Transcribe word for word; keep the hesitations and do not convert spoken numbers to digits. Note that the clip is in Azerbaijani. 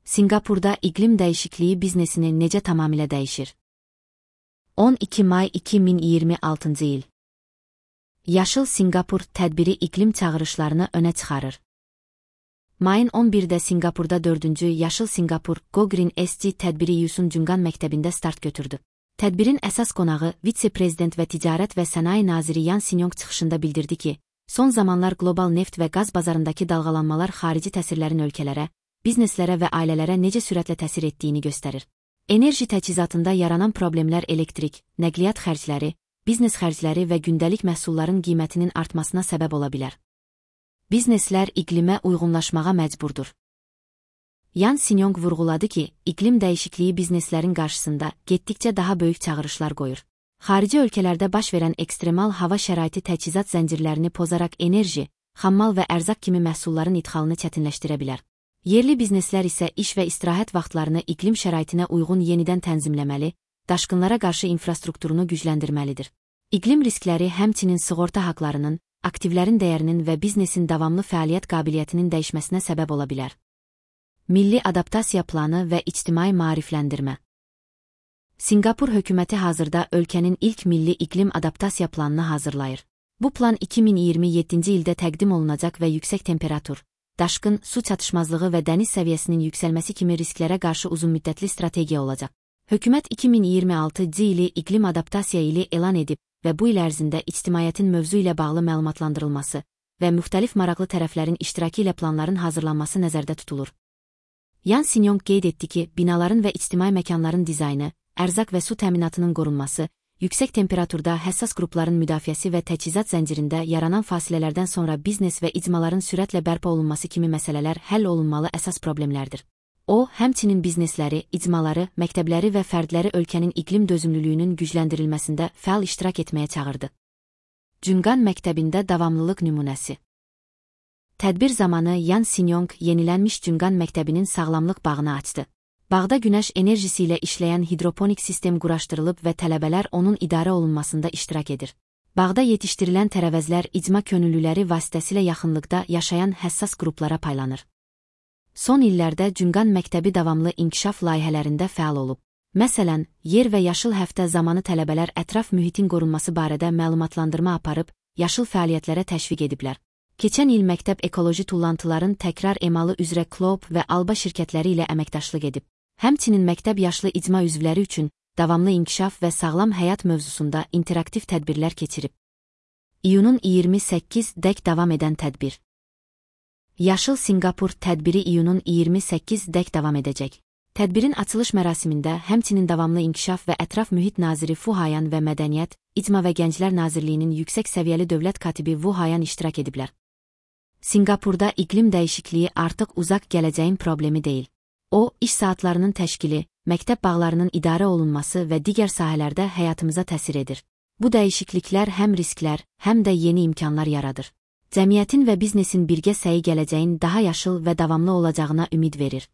Singapurda iqlim dəyişikliyi biznesini necə tamamilə dəyişir? on iki may iki min iyirmi altıncı il. Yaşıl Singapur tədbiri iqlim çağırışlarını önə çıxarır. Mayın on birdə Singapurda dördüncü Yaşıl Singapur Go Green S G tədbiri Yusun Jungan məktəbində start götürdü. Tədbirin əsas qonağı vitse-prezident və ticarət və sənaye naziri Yan Sinyong çıxışında bildirdi ki, son zamanlar qlobal neft və qaz bazarındakı dalğalanmalar xarici təsirlərin ölkələrə, bizneslərə və ailələrə necə sürətlə təsir etdiyini göstərir. Enerji təchizatında yaranan problemlər elektrik, nəqliyyat xərcləri, biznes xərcləri və gündəlik məhsulların qiymətinin artmasına səbəb ola bilər. Bizneslər iqlimə uyğunlaşmağa məcburdur. Yan Sinyong vurğuladı ki, iqlim dəyişikliyi bizneslərin qarşısında getdikcə daha böyük çağırışlar qoyur. Xarici ölkələrdə baş verən ekstremal hava şəraiti təchizat zəncirlərini pozaraq enerji, xammal və ərzaq kimi məhsulların idxalını çətinləşdirə bilər. Yerli bizneslər isə iş və istirahət vaxtlarını iqlim şəraitinə uyğun yenidən tənzimləməli, daşqınlara qarşı infrastrukturunu gücləndirməlidir. İqlim riskləri həmçinin sığorta haqlarının, aktivlərin dəyərinin və biznesin davamlı fəaliyyət qabiliyyətinin dəyişməsinə səbəb ola bilər. Milli adaptasiya planı və ictimai maarifləndirmə. Singapur hökuməti hazırda ölkənin ilk milli iqlim adaptasiya planını hazırlayır. Bu plan iki min iyirmi yeddinci ildə təqdim olunacaq və yüksək temperatur, daşqın, su çatışmazlığı və dəniz səviyyəsinin yüksəlməsi kimi risklərə qarşı uzunmüddətli strategiya olacaq. Hökumət iki min iyirmi altıncı ili iqlim adaptasiya ili elan edib və bu il ərzində ictimaiyyətin mövzu ilə bağlı məlumatlandırılması və müxtəlif maraqlı tərəflərin iştirakı ilə planların hazırlanması nəzərdə tutulur. Yan Sinyong qeyd etdi ki, binaların və ictimai məkanların dizaynı, ərzaq və su təminatının qorunması, yüksək temperaturda həssas qrupların müdafiəsi və təchizat zəncirində yaranan fasilələrdən sonra biznes və icmaların sürətlə bərpa olunması kimi məsələlər həll olunmalı əsas problemlərdir. O, həmçinin biznesləri, icmaları, məktəbləri və fərdləri ölkənin iqlim dözümlülüyünün gücləndirilməsində fəal iştirak etməyə çağırdı. Jungan məktəbində davamlılıq nümunəsi. Tədbir zamanı Yan Sinyong yenilənmiş Jungan məktəbinin sağlamlıq bağını açdı. Bağda günəş enerjisi ilə işləyən hidroponik sistem quraşdırılıb və tələbələr onun idarə olunmasında iştirak edir. Bağda yetişdirilən tərəvəzlər icma könüllüləri vasitəsilə yaxınlıqda yaşayan həssas qruplara paylanır. Son illərdə Jungan məktəbi davamlı inkişaf layihələrində fəal olub. Məsələn, yer və yaşıl həftə zamanı tələbələr ətraf mühitin qorunması barədə məlumatlandırma aparıb, yaşıl fəaliyyətlərə təşviq ediblər. Keçən il məktəb ekoloji tullantıların təkrar emalı üzrə Kloop və Alba şirkətləri ilə əməkdaşlıq edib. Həmçinin məktəb yaşlı icma üzvləri üçün davamlı inkişaf və sağlam həyat mövzusunda interaktiv tədbirlər keçirib. İyunun iyirmi səkkizindək davam edən tədbir. Yaşıl Singapur tədbiri iyunun iyirmi səkkizindək davam edəcək. Tədbirin açılış mərasimində həmçinin davamlı inkişaf və ətraf mühit naziri Fu Hayan və Mədəniyyət, İcma və Gənclər Nazirliyinin yüksək səviyyəli dövlət katibi Wu Hayan iştirak ediblər. Singapurda iqlim dəyişikliyi artıq uzaq gələcəyin problemi deyil. O, iş saatlarının təşkili, məktəb bağlarının idarə olunması və digər sahələrdə həyatımıza təsir edir. Bu dəyişikliklər həm risklər, həm də yeni imkanlar yaradır. Cəmiyyətin və biznesin birgə səyi gələcəyin daha yaşıl və davamlı olacağına ümid verir.